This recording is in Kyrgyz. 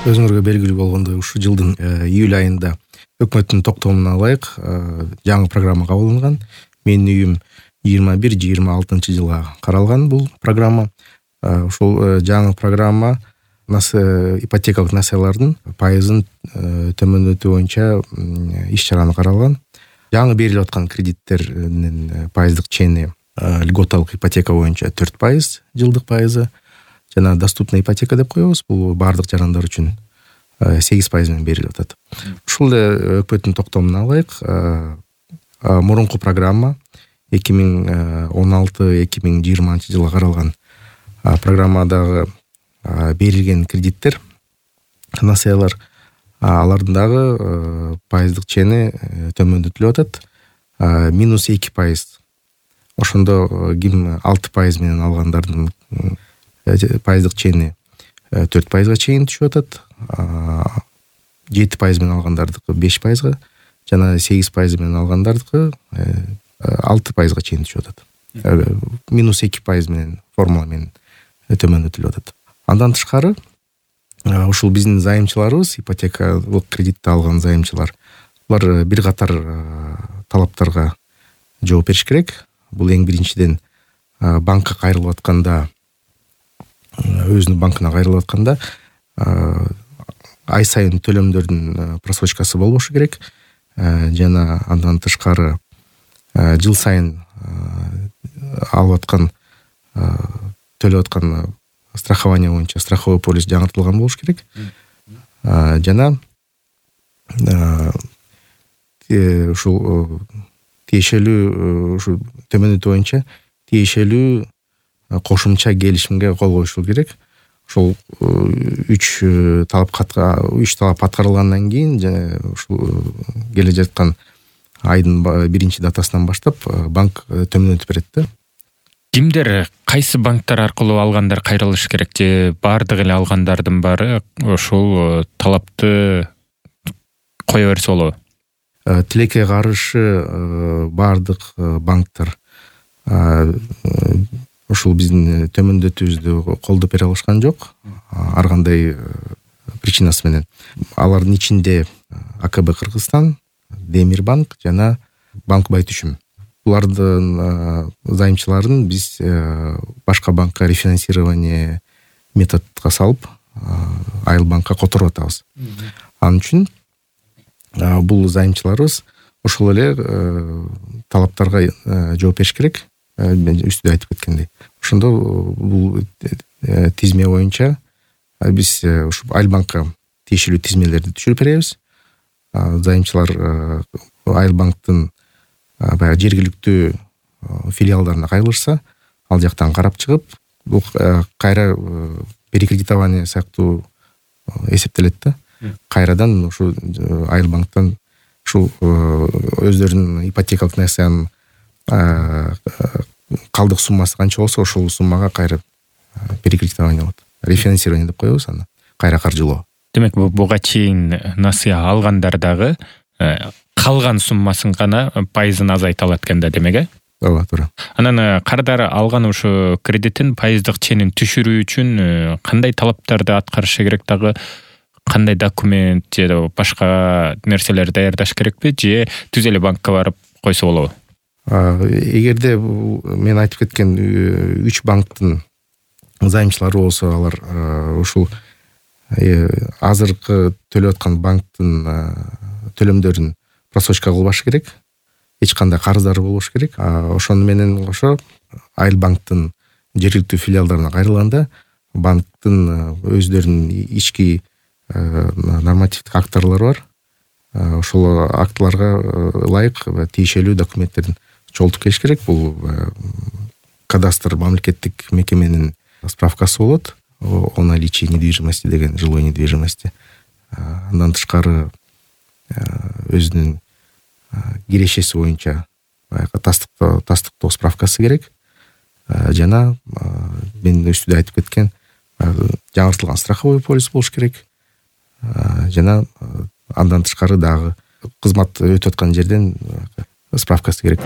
Өзүңөргө белгилүү болгондой ушул жылдын июль айында өкмөттүн токтомуна ылайык жаңы программа кабыл алынган. Менин үйүм 21-26 жылга каралган бул программа. Ушул жаңы программа ипотекалык насыялардын пайызын төмөндөтүү боюнча иш-чараны каралган. Жаңы берилип аткан кредиттердин пайыздык чени льготалык ипотека боюнча 4% жылдык пайызы жана доступный ипотека деп коебуз. Бул баардык жарандар үчүн 8% менен берилип атат. Ушул эле өкмөттүн токтомуна ылайык мурунку программа 2016-2020 жылга каралган программадагы берилген кредиттер, насыялар, алардын дагы пайыздык чени төмөндөтүлүп атат. -2%. Ошондо ким 6% менен алгандардын пайыздык чени 4%га чейин түшүп атат. 7% менен алгандардыкы 5%га жана 8% менен алгандардыкы 6%га чейин түшүп атат. -2% менен формула менен төмөндөтүлүп атат. Андан тышкары ушул биздин займчыларыбыз, ипотекалык кредитти алган займчылар, булар бир катар талаптарга жооп бериш керек. Бул эң биринчиден банкка кайрылып атканда, өзүнүн банкына кайрылып атканда ай сайын төлөмдөрдүн просрочкасы болбошу керек. Жана андан тышкары жыл сайын алып аткан төлөп аткан страхование боюнча страховой полис жаңыртылган болуш керек. Жана ушул тиешелүү ушу төмөндөтүү боюнча тиешелүү кошумча келишимге кол коюшул керек. Ошол 3 талап аткарылгандан кийин ушул келе жаткан айдын 1 датасынан баштап банк төмөндөтүп берет да. Кимдер, кайсы банктар аркылуу алгандар кайрылыш керек же баардык эле алгандардын баары ошол талапты кое берсе болобу? Тилекке каршы баардык банктар ушул биздин төмөндөтүүбүздү колдоп бере алышкан жок. Ар кандай причинасы менен. Алардын ичинде АКБ Кыргызстан, Демирбанк жана Банк Байтүшүм. Булардын займчыларын биз башка банкка рефинансирование методко салып, Айыл банкка которуп атабыз. Анын үчүн бул займчыларыбыз ошол эле талаптарга жооп бериш керек. Мен үстүдө айтып кеткендей. Ошондо бул тизме боюнча биз ушу Айыл банкка тиешелүү тизмелерди түшүрүп беребиз. Займчылар Айыл банктын баягы жергиликтүү филиалдарына кайрылышса, ал жактан карап чыгып, бул кайра перекредитование сыяктуу эсептелет да. Кайрадан ушу Айыл банктан ушу өздөрүнүн ипотекалык насыянын калдык суммасы канча болсо, ошол суммага кайра перекредитование болот. Рефинансирование деп коебуз аны. Кайра каржылоо. Демек, буга чейин насыя алгандар дагы калган суммасын гана пайызын азайта алат экен да, демек, Ооба, туура. Анан кардары алган ушу кредитин пайыздык ченин түшүрүү үчүн кандай талаптарды аткарышы керек, дагы кандай документ же башка нерселер даярдаш керекпи, же түз эле банкка барып койсо болобу? Эгерде мен айтып кеткен 3 банктын займчылары болсо, алар ушул азыркы төлөп аткан банктын төлөмдөрүн просрочка кылбаш керек. Эч кандай карыздары болбош керек. Ошону менен кошо Айыл банктын жергиликтүү филиалдарына кайрылганда банктын өздөрүнүн ички нормативдик актылары бар. Ошол актыларга ылайык тиешелүү документтерин чогултуп келиш керек. Бул кадастр мамлекеттик мекеменин справкасы болот. О наличии недвижимости деген, жилой недвижимости. Андан тышкары өзүнүн кирешеси боюнча тастыктоо справкасы керек. Жана мен үстүдө айтып кеткен жаңыртылган страховой полис болуш керек. Жана андан тышкары дагы кызмат өтүп аткан жерден справкасы керек.